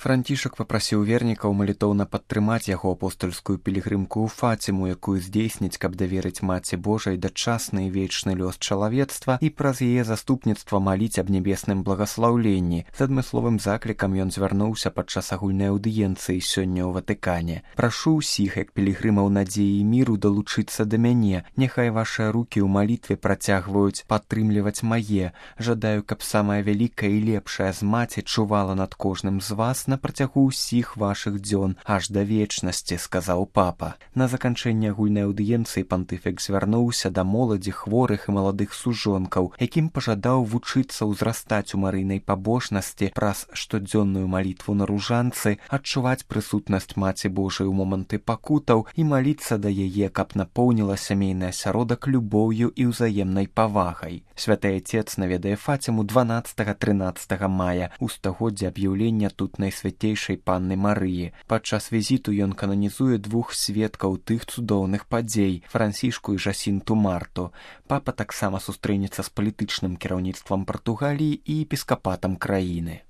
Францішак папрасіў вернікаў малітоўна падтрымаць яго апостальскую пілігрымку ў Фаціму, якую здзейсніць, каб даверыць Маці Божай дачасны і вечны лёс чалавецтва і праз яе заступніцтва маліць аб нябесным благаслаўленні. З адмысловым заклікам ён звярнуўся падчас агульнай аўдыенцыі сёння ў Ватыкане. Прашу ўсіх, як пілігрымаў надзеі і міру, далучыцца да мяне. Няхай вашыя рукі ў малітве працягваюць падтрымліваць мае. Жадаю, каб самая вялікая і лепшая з маці чувала над кожным з вас на працягу ўсіх вашых дзён аж да вечнасці, сказаў папа. На заканчэнне агульнай аўдыенцыі пантыфік звярнуўся да моладзі, хворых і маладых сужонкаў, якім пажадаў вучыцца ўзрастаць у марыйнай пабожнасці праз штодзённую малітву на ружанцы, адчуваць прысутнасць Маці Божай у моманты пакутаў і маліцца да яе, каб напоўніла сямейны асяродак любоўю і ўзаемнай павагай. Святы Отец наведае Фаціму 12-13 мая у стагоддзе аб'яўлення тут Найсвяцейшай Панны Марыі. Падчас візіту ён кананізуе двух сведкаў тых цудоўных падзей – Францішку і Жасінту Марту. Папа таксама сустрэнецца з палітычным кіраўніцтвам Партугаліі і епіскапатам краіны.